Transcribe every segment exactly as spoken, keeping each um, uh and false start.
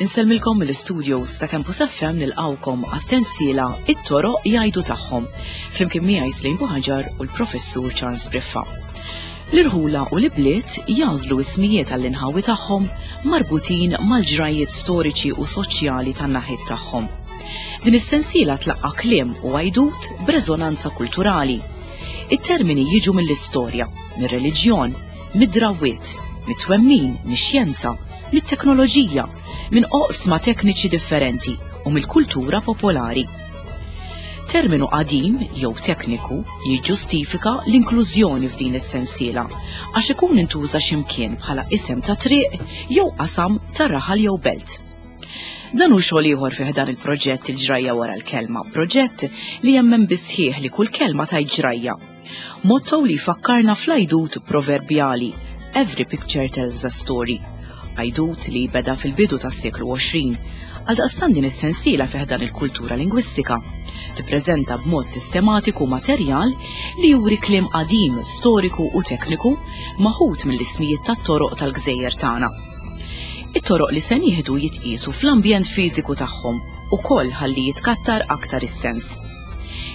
Insellmilkom mill-studios ta' Campus F M nilqawkom għas-sensiela It-Toroq Jgħidu Tagħhom, flimkien miegħi Slim Buħaġar u l-Professur Charles Briffa. L-irħula u l-ibliet jażlu ismijiet għall-inħawi tagħhom marbutin mal-ġrajiet storiċi u soċjali tan-naħiet tagħhom. Din is-sensiela tlaqqa' kliem u għajdut b'reżonanza kulturali. It-termini jiġu mill-istorja, mir-reliġjon, mid-drawwiet, mit-twemmin, mix-xjenza, mit-teknoloġija, minn oqsma tekniċi differenti u mill-kultura popolari. Terminu qadim jew tekniku jiġġustifika l-inklużjoni f'din is-sensiela għax ikun intuża x'imkien bħala isem ta' triq jew qasam ta' raħal jew belt. Dan hu xogħol ieħor fih dan il-proġett Il-Ġrajja Wara l-Kelma, proġett li jemmen bisħieħ li kull kelma tajt ġrajja. Motto li jfakkarna fl-għajdut proverbjali Every picture tells a story. Għajdut li beda fil-bidu tas-seklu għoxrin, għaldaqstant din is-sensiela fih dan il-kultura lingwistika. Tippreżenta b'mod sistematiku materjal li juri kliem qadim, storiku u tekniku maħut mill-ismijiet tat-toroq tal-gżejjer tagħna. It-toroq li se nieħdu jitqiesu fl-ambjent fiżiku tagħhom ukoll ħalli jitkattar aktar is-sens.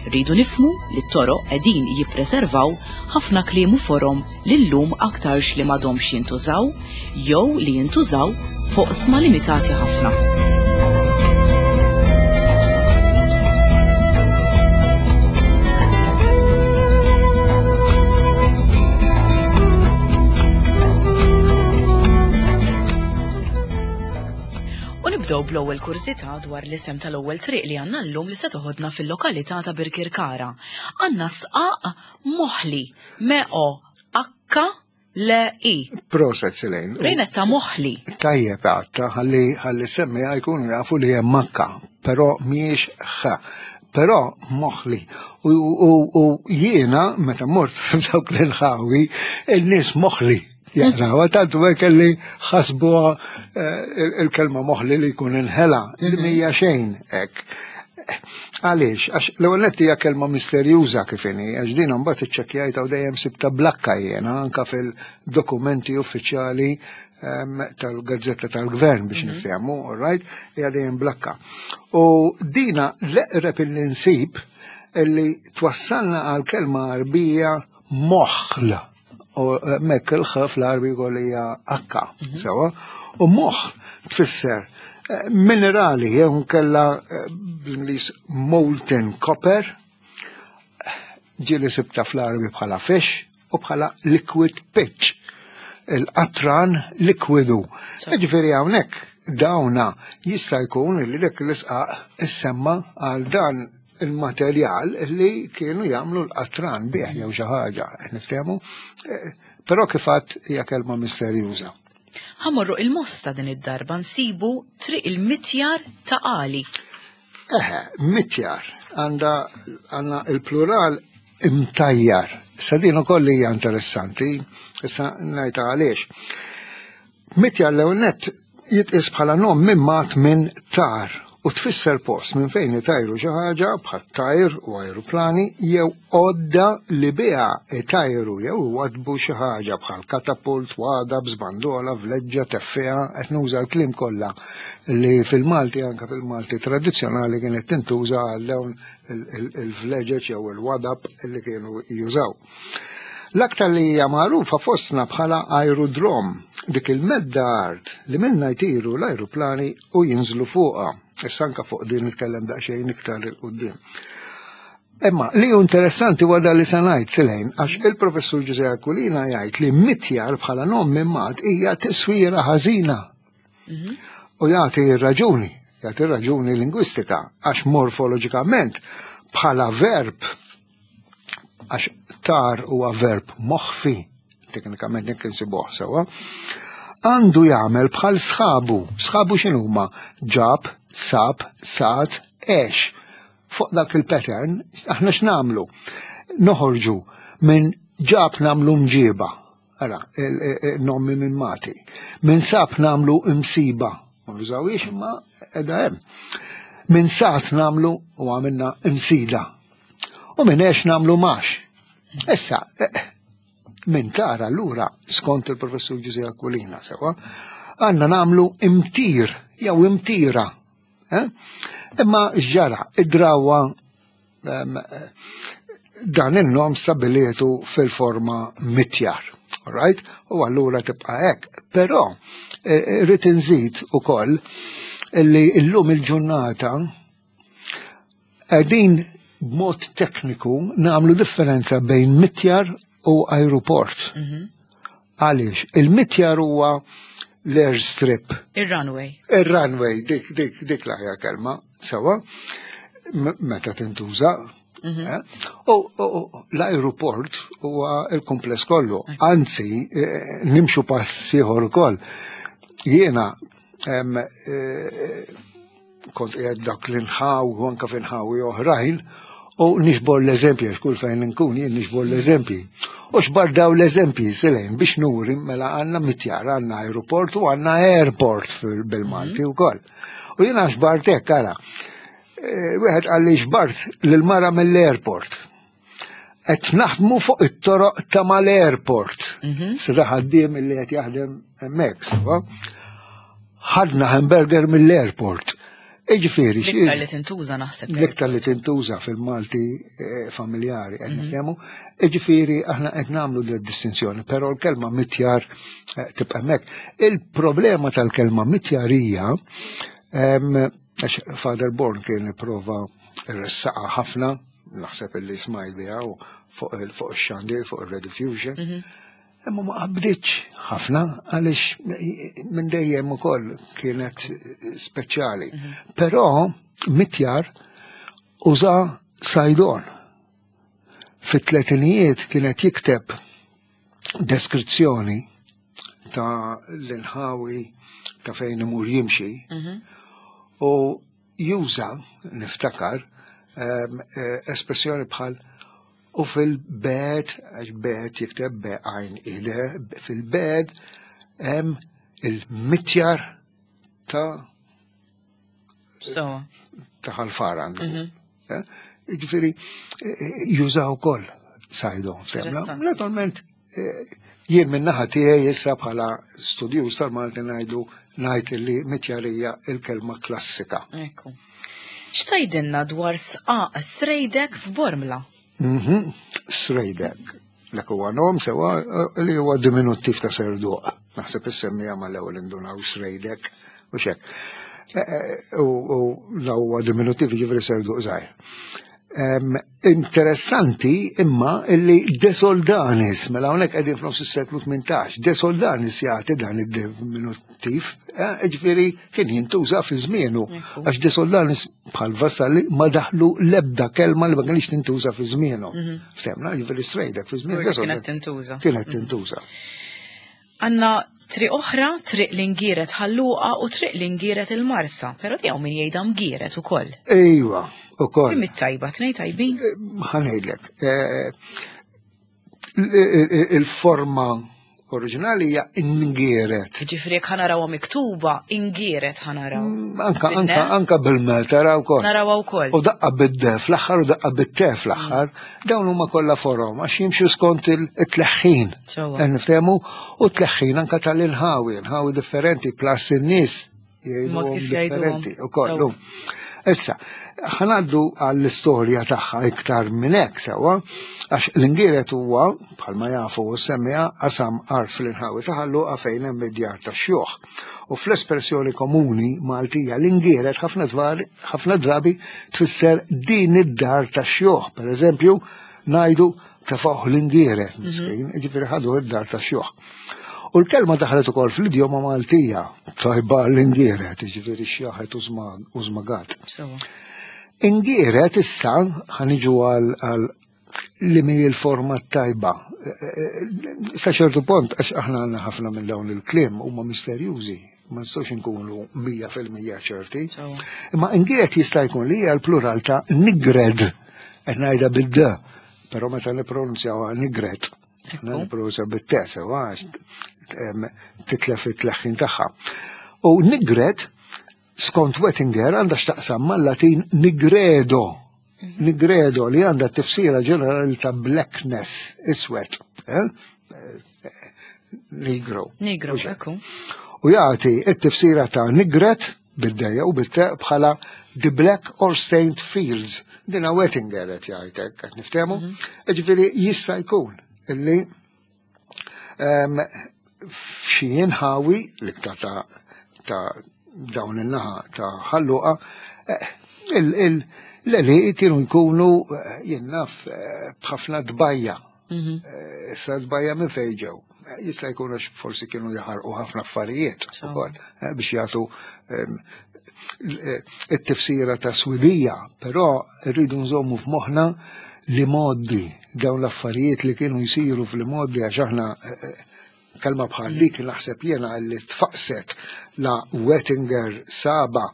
Rridu nifhmu li t-toroq qegħdin jippreservaw ħafna kliem u forom li llum aktarx li m'għadhomx jintużaw jew li jintużaw fuq sma limitati ħafna. U nibdew bl-ewwel kurżità dwar l-isem tal-ewwel triq li għandna llum li se toħodna fil-lokalità ta' Birkirkara. Għandna sqaq moħli, M O H L I. Proset, Selene. Rejnet ta' moħli. Tajjeb għatta, ħalli, ħalli semmiha jkunu jafu li hemm makka, però mhijiex ħa. Però moħli. U, u, u jiena meta mort f'dawk l-inħawi, in-nies moħli. Jaqraw, tantu hekk li ħasbuha, eh, il-kelma moħli li jkun inħela, li Mhm. mhija xejn hekk. Għaliex? Għax l-ewwel nett hija kelma misterjuża kif inhi, għax din mbagħad iċċekkjajta u dejjem sibta blakka jiena anke fil-dokumenti uffiċjali, ehm, tal-Gazzetta tal-Gvern biex Mhm. niftehmu, all right, hija dejjem blakka. U dina l-eqreb illi nsib illi twassalna għal kelma Għarbija moħl. U mekk il-ħaf l-Għarbi jkoll hija akka, Mhm. sewa, u moħ tfisser, eh, minerali, jew nkella, eh, bl-Ingliż molten copper, ġieli sibta fl-Għarbi bħala fish u bħala liquid pitch, il-qatran likwidu. Sewa. Ġifieri hawnhekk dawna jista' jkun li dik l-isqaq issemma għal dan il-materjal li kienu jagħmlu l-qatran bih jew xi ħaġa, niftehmu? Eh, però kif għedt hija kelma misterjuża. Ħamorru il-Mosta din id-darba nsibu triq il-Mitjar ta' Qali. Eħe, mitjar għandha għandna il-plural imtajjar. Issa din ukoll hija interessanti, issa ngħidha għaliex. Mitjar l-ewwel nett jitqies bħala nom mimmat minn tar u tfisser post minn fejn itajru xi ħaġa bħal tajr u ajruplani jew għodda li biha itajru jew iwadbu xi ħaġa bħal katapult, wada, bżbandola, vleġġa, teffeha, qed nuża l-kliem kollha li fil-Malti, anke fil-Malti tradizzjonali kienet tintuża għal dawn il-, il-, il-vleġeġ jew il-wadab li kienu jużaw. L-aktar li hija magħrufa fostna bħala aerodrom, dik il-medda art li minnha jtiru l-ajruplani u jinżlu fuqha. Issa anke fuq din nitkellem daqsxejn iktar il quddiem. Imma li hu interessanti huwa dan li se ngħid, Selene, għax il-professur Ġużè Aquilina jgħid li mitjar bħala nom mimmat hija tiswira ħażina. Mhm. U jagħti r-raġuni, jagħti r-raġuni lingwistika, għax morfoloġikament bħala verb, għax tar huwa verb moħfi, teknikament jekk insibuh sewwa, għandu jagħmel bħal sħabu. Sħabu x'inhuma? Ġab, sab, sat, għex. Fuq dak il-pattern, aħna x'nagħmlu? Noħorġu minn ġab nagħmlu mġiba, ara, il-, il-, il-nomi minn mati. Minn sab nagħmlu imsiba, ma nużawiex imma qiegħda hemm. Minn sat nagħmlu u għamilna imsida. U minn għex nagħmlu max. Issa, eh, minn tara allura, skont il-professur Ġużè Aquilina, sewa, għandna nagħmlu imtir, jew imtira. Eh? Imma x'ġara, id-drawa em, eh, dan il-nom stabilietu fil-forma mitjar. Right? U allura tibqa' hekk. Però eh, rrid inżid ukoll illi illum il-ġurnata qegħdin b'mod tekniku nagħmlu differenza bejn mitjar u aeroport. Għaliex, il-mitjar huwa l-airstrip. Ir-runway. Il-runway, dik, dik, dik l-aħjar kelma, sewa, m- meta tintuża. eh? U u- u l-aeroport huwa il-kumpless kollu. Anzi, eh, nimxu pass ieħor ukoll. Jiena em, eh, kont qiegħed dak l-inħaw u anka f'inħawi oħrajn u niġbor l-eżempji, għax kull fejn nkun jien niġbor l-eżempji. U xbar daw l-eżempji silejn biex nuri mela għandna mitjar, għandna aeroport u għandna airport fil- bil-Malti u koll. U jiena xbart hekk, ara. Eh, Wieħed qalli xbart lil-mara mill-airport. Qed naħdmu fuq it-toroq ta' mal-airport. Sida ħaddiem illi qed jaħdem hemmhekk, sewa. Ħadna hamburger mill-airport. Iġifieri, L-iktar li tintuża naħseb. l-iktar li tintuża fil-Malti eh, familjari qed nitkellmu, iġifieri aħna qed nagħmlu di distinzjoni, però l-kelma mitjar eh, tibqa' hemmhekk. Il-problema tal-kelma mitjar hija em, għax Father Born kien prova ressaqa ħafna, naħseb illi smajt biha u fuq il- fuq ix-xandir, fuq il-Rediffusion. Imma ma qabditx ħafna għaliex minn dejjem ukoll kienet speċjali. Però mitjar uża Saydon. Fit-tletinijiet kienet jikteb deskrizzjoni ta' l-inħawi ta' fejn imur jimxi u juża, niftakar, em, eh, espressjoni bħal u fil-bed, għax bed jikteb be għajn ide, fil-bed hemm il-mitjar ta' So, ta' ħalfar għandu. Eh? Ġifieri, eh, jużaw ukoll Saydon. Interessanti. Naturalment, eh, jien minn naħa tiegħi issa bħala studjuż tal-Malti ngħidu ngħid li mitjarija il-kelma klassika. ekku. X'tgħidilna dwar sqaq Srejdek f'Bormla? Mhm. Srejdek. Dak huwa nom sewa eh, li huwa diminuttiv ta' serduq. Naħseb is-semmija mal-ewwel indunaw Srejdek u xek. Eh, eh, U u la huwa diminuttiv jiġifieri serduq żgħir. Em, Interessanti imma illi De Soldanis, mela hawnhekk qegħdin f'nofs is-seklu tmintax, De Soldanis jagħti dan id-diminuttiv, eh, ġifieri kien jintuża fi żmienu, Ekku. għax De Soldanis bħal Vassalli ma daħlu lebda kelma li ma kienx tintuża fi żmienu. Ftemna, ġifieri Srejdek fi żmien Żgur De li kienet Soldanis tintuża. kienet tintuża. Għanna triq oħra, triq l-Ingieret Ħal Luqa u triq l-Ingieret il-Marsa, pero di hawn min jgħidha mgieret ukoll. Ejwa, ukoll. Kim it-tajba, tnej tajbin? Ħa ngħidlek. eh, il- Il-forma oriġinali hija ingieret. Ġifieri jekk ħa narawha miktuba, ingieret ħa naraw. Anka, Bin-ne? anka, anka bil-mel taraw ukoll. Narawha wkoll. U daqqa bid-de fl-aħħar u daqqa bit-te fl-aħħar, dawn huma kollha forom għax jimxu skont il-tleħħin. Sewwa. Qed niftehmu u tleħħin anka tal-inħawi, inħawi differenti, plus in-nies Mod jgħiduhom kif jgħiduhom. differenti ukoll. Sewwa. Issa, ħa ngħaddu għall-istorja tagħha iktar minn hekk sewwa, għax l-Ingieret huwa bħalma jafu u semmija qasam art fl-inħawi ta' Ħal Luqa fejn hemm id-djar tax-xjuħ. U fl-espressjoni komuni Maltija l-Ingieret ħafna dwar ħafna drabi tfisser din id-dar tax-xjuħ. Per eżempju, ngħidu tefgħuh l-Ingieret, miskin, ġifieri ħadu id-dar tax-xjuħ. U l-kelma daħlet ukoll fl-idjoma Maltija, tajba l-Ingieret, ġifieri xjaħet u żmagat. Sewwa. Ingieret issa ħa niġu għal għal li mi l-forma tajba. Sa ċertu punt, għax aħna għandna ħafna minn dawn il-kliem huma misterjużi, ma nistgħux inkunu mija fil-mija ċerti. Sewwa. Imma ingieret jista' jkun li hija l-plural ta' nigred, qed ngħidha bid-d, però meta nippronunzjawha nigred, Ekku. nippronunzjaw bit-t sewa għax em, titlef it-tleħħin tagħha. U nigred, skont Wettinger, għandha x'taqsam mal-Latin nigredo, Nigredo li għandha tifsira ġenerali ta' blackness, iswed. Eh? Negro. Negro, ekku. U jagħti t-tifsira ta' nigret bid-dejja u bit bħala the black or stained fields. Dina Wettinger qed jgħidek, qed niftehmu. Ġifieri jista' jkun illi f'xi inħawi l-iktar ta' ta' dawn in-naħa ta' Ħal Luqa, l-għelieqi kienu jkunu jien naf b'ħafna tbajja. Issa tbajja minn fejn ġew. Jista' jkun għax forsi kienu jaħarqu ħafna affarijiet ukoll biex jagħtu it-tifsira ta' swidija, però rridu nżommu f'moħħna li moddi dawn l-affarijiet li kienu jsiru fl-modi, għax aħna kelma bħal dik naħseb jiena li tfaqset la Wettinger saba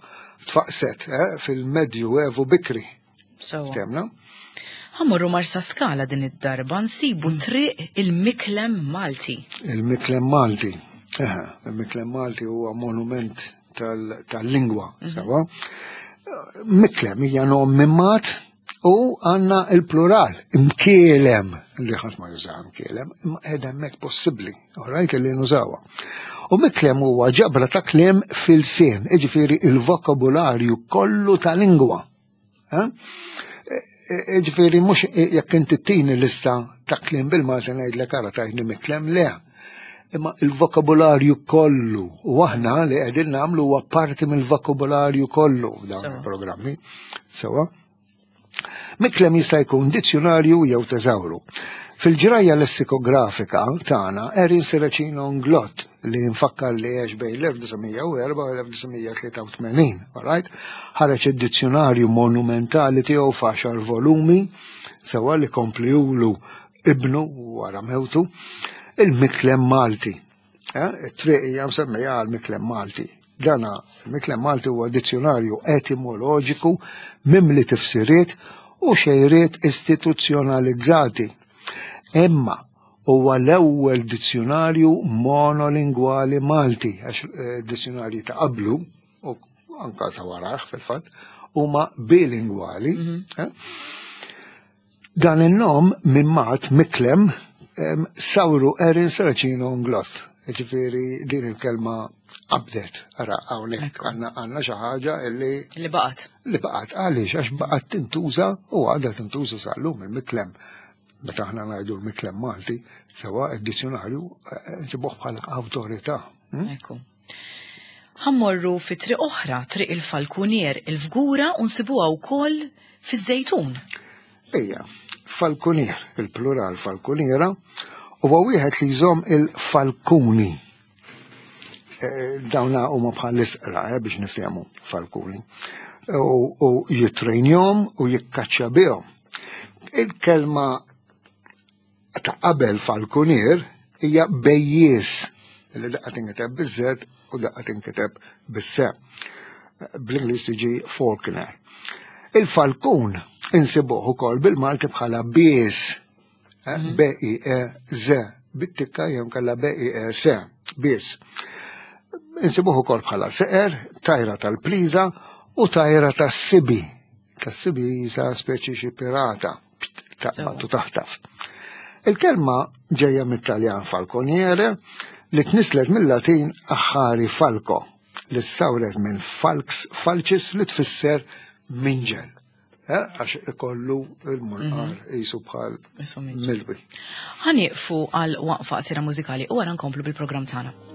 tfaqset fil-Medju Evu bikri. Temna? Ħa mmorru Marsaskala din id-darba nsibu triq il-Miklem Malti. Il-Miklem Malti. Il-Miklem Malti huwa monument tal-lingwa, sawa. Miklem hija nom mimmat u għandna il-plural, imkielem, li ħadd ma jużaha imkielem, imma qiegħda hemmhekk possibbli, alright, li nużawha. U miklem huwa ġabra ta' kliem fil-sien, jiġifieri il-vokabularju kollu ta' lingwa. Ġifieri mhux jekk inti tini lista ta' kliem bil-Malti ngħidlek ara tajni miklem, le. Imma il-vokabularju kollu, u aħna li qegħdin nagħmlu huwa parti mill-vokabularju kollu f'dawn il-programmi. Sewa. Miklem jista' jkun dizzjonarju jew teżawru. Fil-ġrajja lessikografika tagħna Erin Serracino Inglott, li nfakkar li għex bejn l-elf disa' mija u erba' u l-elf disa' mija tlieta u tmenin, alright? Ħareġ id-dizzjonarju monumentali tiegħu f'għaxar volumi, sewa li kompliulu ibnu wara mewtu, il-Miklem Malti. It-triq hija msemmija għal Miklem Malti. Dana il-Miklem Malti huwa dizzjonarju etimoloġiku mimli tifsiriet u xejriet istituzzjonalizzati. Imma huwa l-ewwel dizzjonarju monolingwali Malti, għax dizzjonarji ta' qablu u anka ta' warah fil-fatt huma bilingwali. Dan in-nom minn mat Miklem sawru Erin Serracino Inglott. Ġifieri din il-kelma qabdet, ara hawnhekk għandna xi ħaġa illi li baqgħet. Li baqgħet għaliex għax baqgħet tintuża u għadha tintuża sal-lum il-Miklem. Meta aħna ngħidu l-Miklem Malti, sewa id-dizzjonarju nsibuh bħala awtorità. Ekku. Ħa mmorru fi triq oħra, triq il-Falkunier, il-Fgura, u nsibuha wkoll fiż-Żejtun. Ejja, Falkunier, il-plural falkuniera, huwa wieħed li jżomm il-falkuni. Dawna huma bħal l-isqra biex niftehmu falkuni. U jitrejnjhom u jikkaċċja bihom. Il-kelma ta' qabel falkunier hija bejjies, li daqqa tinkiteb biż-Z u daqqa tinkiteb bis-S. Bl-Ingliż tiġi falconer. Il-falkun insibuh ukoll bil-Malti bħala bies, B I E Z, bit-tikka jew kellha B I E S, bies. Insibuh ukoll bħala seqer, tajra tal-pliża u tajra tas-sibi. Tas-sibi sa speċi xi pirata, taqbad u taħtaf. Il-kelma ġejja mit-Taljan falconiere li tnislet mill-Latin aħħari falco, li ssawret minn falx falcis li tfisser minġel. Għax ikollu il-munqar jisu bħal milwi. Ħa nieqfu għal waqfa qasira mużikali u wara nkomplu bil-programm tagħna.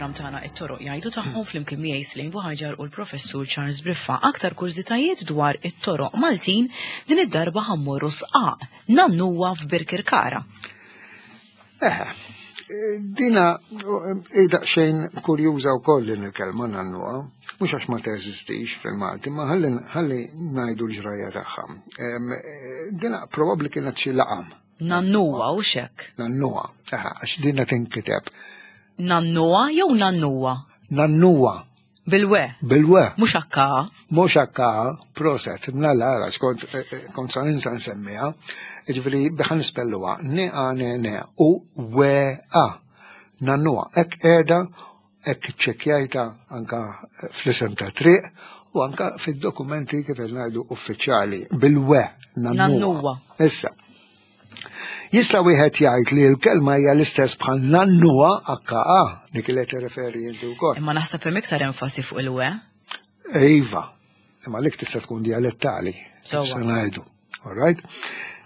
fil-programm tagħna It-Toroq Jgħidu Tagħhom flimkien miegħi Slane Buhaġar u l-Professur Charles Briffa. Aktar kurżitajiet dwar it-toroq Maltin, din id-darba ħa mmorru Sqaq Nannuwa f'Birkirkara. Eh, dina daqsxejn kurjuża wkoll din il-kelma nannuwa, mhux għax ma teżistix fil-Malti, ma ħalli ħalli ngħidu l-ġrajja tagħha. Dina probabbli kienet xi laqam. Nannuwa u xek. Nannuwa, għax dina tinkiteb. Nannuwa jew nannuwa? Nannuwa. Bil-we? Bil-we. Mhux akka. Mhux akka, proset, mnalla għax kont kont sa ninsa nsemmiha. Jiġifieri biħan nispelluha n a n n u w a. Nannuwa. Hekk qiegħda, hekk iċċekkjajta anka fl-isem ta' triq u anka fid-dokumenti kif ngħidu uffiċjali bil-we nannuwa. Nannuwa. Issa. Jista' wieħed jgħid li l-kelma hija l-istess bħal nannuwa H A, dik li qed tirreferi inti wkoll. Imma naħseb hemm iktar enfasi fuq il-we. Iva, imma lik tista' tkun dialettali. Sewwa. Se ngħidu. All right?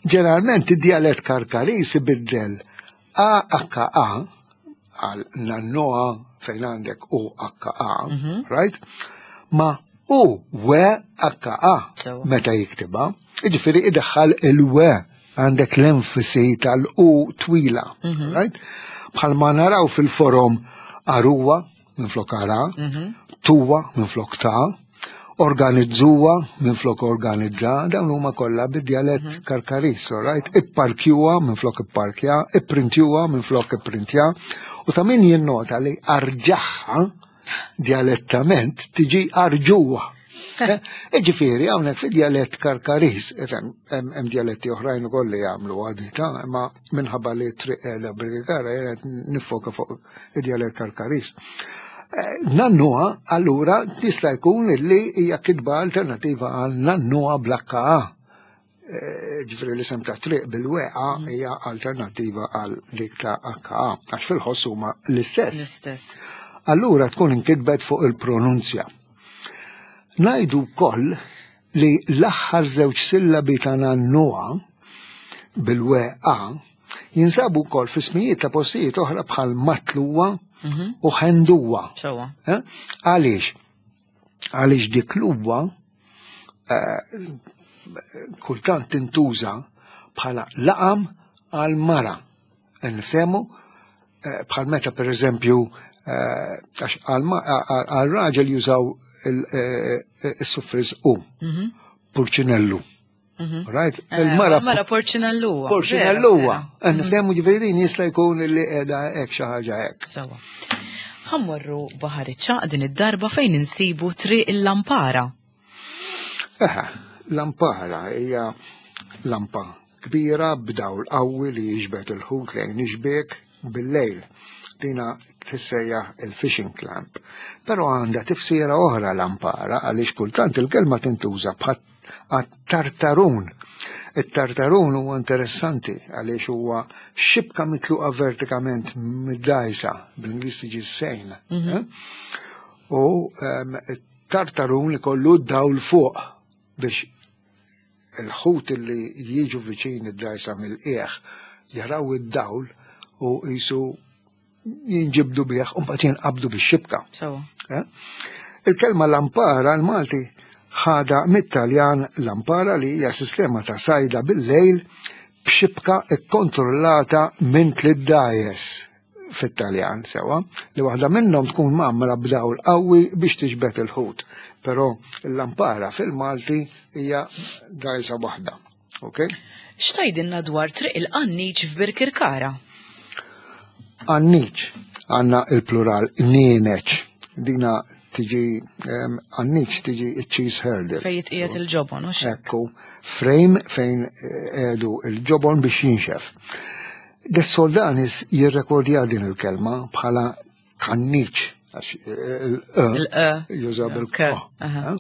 Ġeneralment id-dialett Karkaris ibiddel A H A għal nannoa fejn għandek U H A, Mhm. right? Ma U W H A Sewwa. meta jiktibha, jiġifieri idaħħal il-we, għandek l-enfasi tal-U twila, Mhm. right? Bħalma naraw fil-forom aruwa minn flok ara, Mhm. tuwa minn flok ta, organizzuwa minn flok organizza, dawn huma kollha bid-dialett Mhm. Karkaris, all right? Ipparkjuwa minn flok ipparkja, ipprintjuwa minn flok ipprintja, u ta' min jinnota li arġaħħa dialettament tiġi arġuwa. Ġifieri, hawnhekk fi dialett Karkaris, ifhem, hemm, hemm dialetti oħrajn ukoll li jagħmlu għadita, imma minħabba li triq qiegħda Birkirkara jien qed nifoka fuq id-dialett Karkaris. Eh, Nannuha, allura, tista' jkun illi hija kitba alternattiva għal nannuha bl-H A. Eh, ġifieri l-isem ta' triq bil-weqa hija alternattiva għal dik ta' H A, għax fil-ħoss huma l-istess. L-istess. Allura tkun inkitbet fuq il-pronunzja. Ngħidu wkoll li l-aħħar żewġ sillabi ta' nannuha bil-weqa jinsabu wkoll fi smijiet ta' postijiet oħra bħal matluwa Mhm. u ħenduwa. Sewwa. Eh? Għaliex? Għaliex dik l-uwa, eh, kultant tintuża bħala laqam għal mara. Nifhemu, eh, bħal meta per eżempju, eh, għax għal ma-, għal, għal raġel jużaw il-, eh, eh, il-suffiss u, Mhm. purċinellu. Mhm. Right? Eh, Il-mara Mara porċinelluwa. Porċinelluwa. Vera, vera. Nifhemu ġifieri din jista' jkun li qiegħda hekk xi ħaġa hekk. Sewwa. Ħa mmorru Baħar iċ-Ċagħaq din id-darba fejn insibu triq il-Lampara. Eħe, lampara hija lampa kbira b'dawl qawwi li jiġbed il-ħut lejn ixbiek bil-lejl. Dina tissejjaħ il-fishing clamp. Però għandha tifsira oħra lampara għaliex kultant il-kelma tintuża bħal għat-tartarun. Il-tartarun huwa interessanti għaliex huwa xibka mitluqa vertikament mid-dajsa, bl-Ingliż tiġi sejn. Mhm. Eh? U, ehm, tartarun ikollu dawl fuq biex il-ħut li jiġu viċin id-dajsa mill-qiegħ jaraw id-dawl u jisu jinġibdu bih u mbagħad jinqabdu bix-xibka. Sewwa. Eh? Il-kelma lampara l-Malti ħada mit-Taljan lampara li hija sistema ta' sajda bil-lejl b'xibka kkontrollata minn tliet dgħajjes fit-Taljan sewa, li waħda minnhom tkun mgħammra b'dawl qawwi biex tiġbed il-ħut. Però l-lampara fil-Malti hija dgħajsa waħda. Ok? X'tgħidilna dwar triq il-Qanniċ f'Birkirkara? Qanniċ, għandna il-plural nieneċ. Dina tiġi, em, qanniċ tiġi cheese hurdle. Fejn jitqiegħed il-ġobon, hux hekk? Ekku, frame fejn, eh, edu il-ġobon biex jinxef. De Soldanis jirrekordja din il-kelma bħala kanniċ, għax, eh, il-e Il-e. juża bil-k. K, aha. Eh,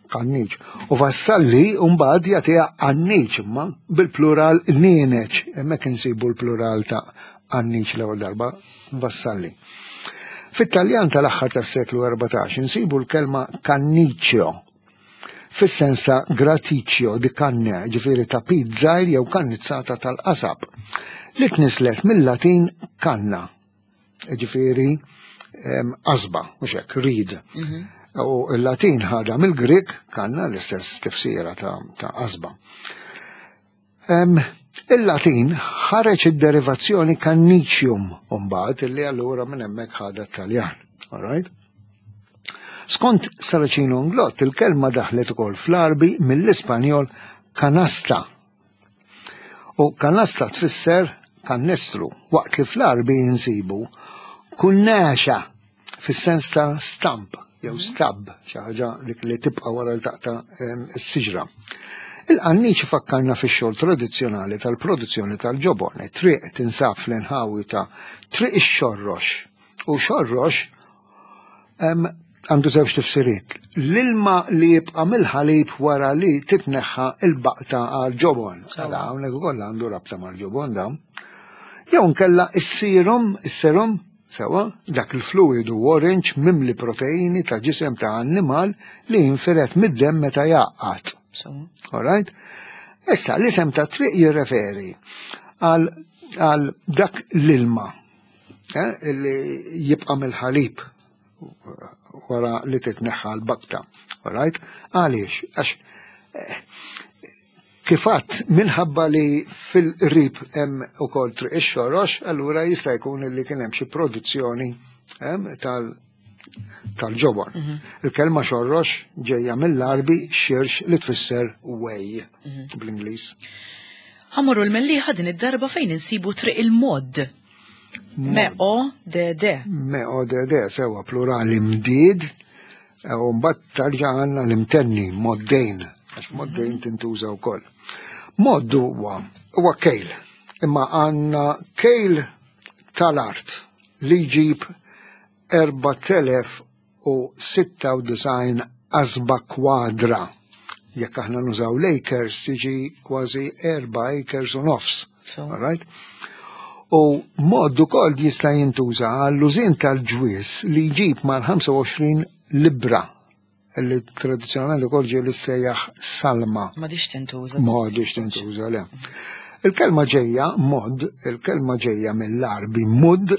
Kanniċ. U Vassalli mbagħad jagħtiha qanniċ imma bil-plural nieneċ. Hemmhekk insibu l-plural ta' qanniċ l-ewwel darba, Vassalli. Fit-Taljan tal-aħħar tas-seklu erbatax insibu l-kelma canniccio fis-sens ta' graticcio di canne, ġifieri ta' pizza jew kannizzata tal-qasab, li tnislet mill-Latin kanna, ġifieri qasba, mhux hekk, reed. U l-Latin ħadha mill-Grik, kanna, l-istess tifsira ta' qasba. Il-Latin ħareġ id-derivazzjoni cannicium mbagħad, illi allura minn hemmhekk ħadha t-Taljan. All right? Skont Saracino Inglott, il-kelma daħlet ukoll fl-Arbi mill-Ispanjol canasta. U canasta tfisser kannestru, waqt li fl-Arbi insibu kunnaxa fis-sens ta' stump jew stub, xi ħaġa dik li tibqa' wara li taqta' s-siġra. Il-qanniċ fakkarna fix-xogħol tradizzjonali tal-produzzjoni tal-ġobon. Triq tinsab fl-inħawi ta' Triq ix-Xorrox. U xorrox għandu żewġ tifsiriet. L-ilma li jibqa' mill-ħalib wara li titneħħa il-baqta għal ġobon. Għala hawnhekk ukoll għandu rabta mal-ġobon dan. Jew nkella is-serum, is-serum, sewa, dak il-fluidu orange mimli proteini ta' ġisem ta' annimal li jinfiret mid-dem meta jgħaqqad. All right? Issa, l-isem ta' triq jirreferi għal, għal dak l-ilma eh, li jibqa' mill-ħalib wara li titneħħa l-bakta. All right? Għaliex? Għax eh, kifat minħabba li fil-qrib hemm ukoll Triq ix-Xorrox, allura jista' jkun li kien hemm xi produzzjoni tal tal-ġobon. Il-kelma xorrox ġejja mill-Arbi xirx, li tfisser whey bl-Ingliż. Ħa mmorru l-Mellieħa din id-darba, fejn insibu Triq il-Mod. Me O D D. Me O D D, sewa, plurali mdid, u mbagħad tarġa' għandna l-imtenni moddejn, għax moddejn tintuża wkoll. Mod huwa huwa kejl, imma għandna kejl tal-art li jġib erbat elef u sitta u disgħin qasba kwadra. Jekk aħna nużaw l-acres, tiġi kważi erba' acres u nofs. All right? U mod ukoll jista' jintuża għall-użin tal-ġwis li jġib mal-ħamsa u għoxrin libra, li tradizzjonalment ukoll ġie li sejjaħ salma. M'għadhiex tintuża. M'għadhiex tintuża, le. Il-kelma ġejja, mod, il-kelma ġejja mill-Arbi mud,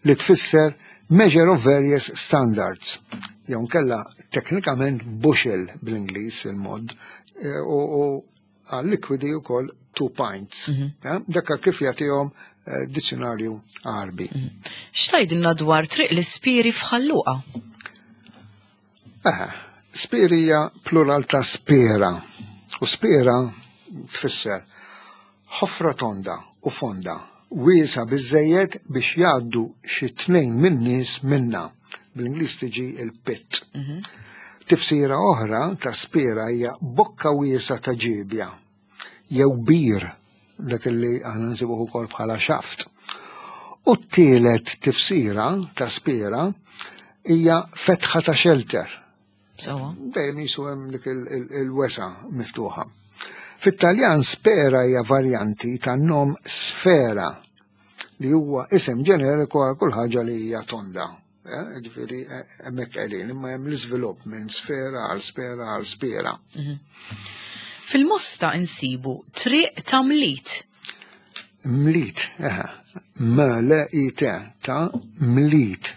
li tfisser measure of various standards. Jew kella teknikament bushel bl-Ingliż il-mod e, u għal-likwidi ukoll two pints. Mm -hmm. Dakka kif jagħtihom eh, dizzjonarju Arbi. Mm -hmm. X'tgħidilna dwar Triq l-Ispiri f'Ħal Luqa? Eh, spiri hija plural ta' spera. U spera tfisser ħofra tonda u fonda, wiesa biżejjed biex jgħaddu xi tnejn minn nies minna. Bl-Ingliż tiġi il-pit. Mm -hmm. Tifsira oħra ta' spera hija bokka wiesa ta' ġibja jew bir, dak li aħna nsibuh ukoll bħala shaft. U t-tielet tifsira ta' spera hija fetħa ta' shelter. Dejjem jisu hemm dik il-wesa miftuħa. Fit-Taljan spera hija varjanti ta' nom sfera, li huwa isem ġeneriku għal kull ħaġa li hija tonda. Eh, ġifieri eh, hemmhekk qegħdin, imma hemm l-iżvilupp minn sfera għal spera għal spera. Mhm. Fil-Mosta insibu Triq ta' Mlit. Mlit, eħe, M L I T, ta' Mlit.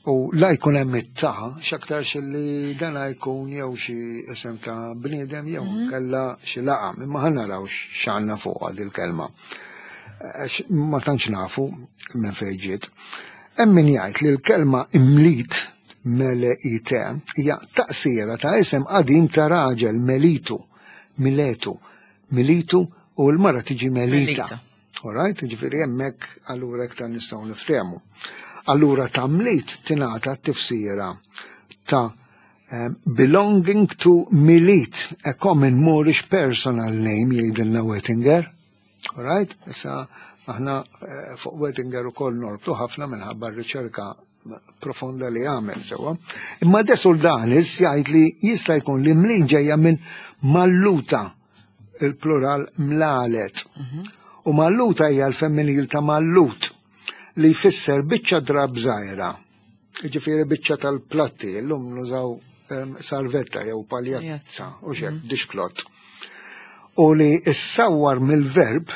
U la jkun hemm it-ta', x'aktarx li dana jkun jew xi isem ta' bniedem jew mhm. kella xi laqam, imma ħa naraw x'għandna fuq il-kelma. Ma tantx nafu minn fejn ġiet. Hemm min jgħid li l-kelma imlit, mele I T, hija taqsira ta' isem qadim ta' raġel Melitu, Miletu, Militu, u l-mara tiġi Melita. All right, ġifieri hemmhekk allura iktar nistgħu niftehmu. Allura ta' Mlit tingħata t-tifsira ta' um, belonging to Milit, a common Moorish personal name, jgħidilna Wettinger. All right, issa aħna eh, fuq Wettinger ukoll norbtu ħafna minħabba r-riċerka profonda li għamel, sewa. Imma De Soldanis jgħid li jista' jkun li Mlit ġejja minn Malluta, il-plural mlalet. U Malluta hija l-femminil ta' Mallut, li jfisser biċċa drab żgħira. Ġifieri biċċa tal-platti, llum nużaw em, sarvetta jew paljazza u xek, dishcloth. U li issawwar mill-verb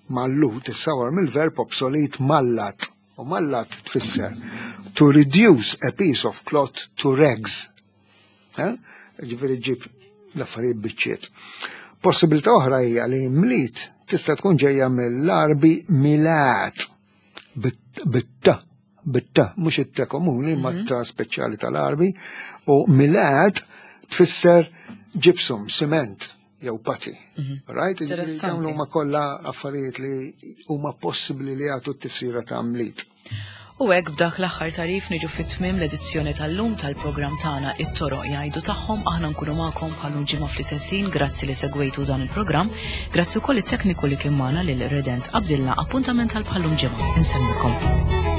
mallut, issawwar mill-verb obsolit mallat. U mallat tfisser to reduce a piece of cloth to rags. Eh? Ġifieri ġib l-affarijiet biċċiet. Possibilità oħra hija li mlit tista' tkun ġejja mill-Arbi milat bit-ta, bit-ta, mhux it-ta komuni, ma ta' speċjali tal-Arbi, u milat tfisser gypsum, cement, jew putty. Right? Interessanti. Dawn huma kollha affarijiet li huma possibbli li jagħtu t-tifsira ta' mlit. U hekk b'dak l-aħħar tarif niġu fit-tmiem l-edizzjoni tal-lum tal-programm tagħna It-Toroq Jgħidu Tagħhom. Aħna nkunu magħkom bħal ġimgħa fl-istess ħin. Grazzi li segwejtu dan il-programm. Grazzi wkoll it-tekniku li kien magħna lil Redent Abdilla. Appuntament tal bħal ġimgħa. Insellmilkom.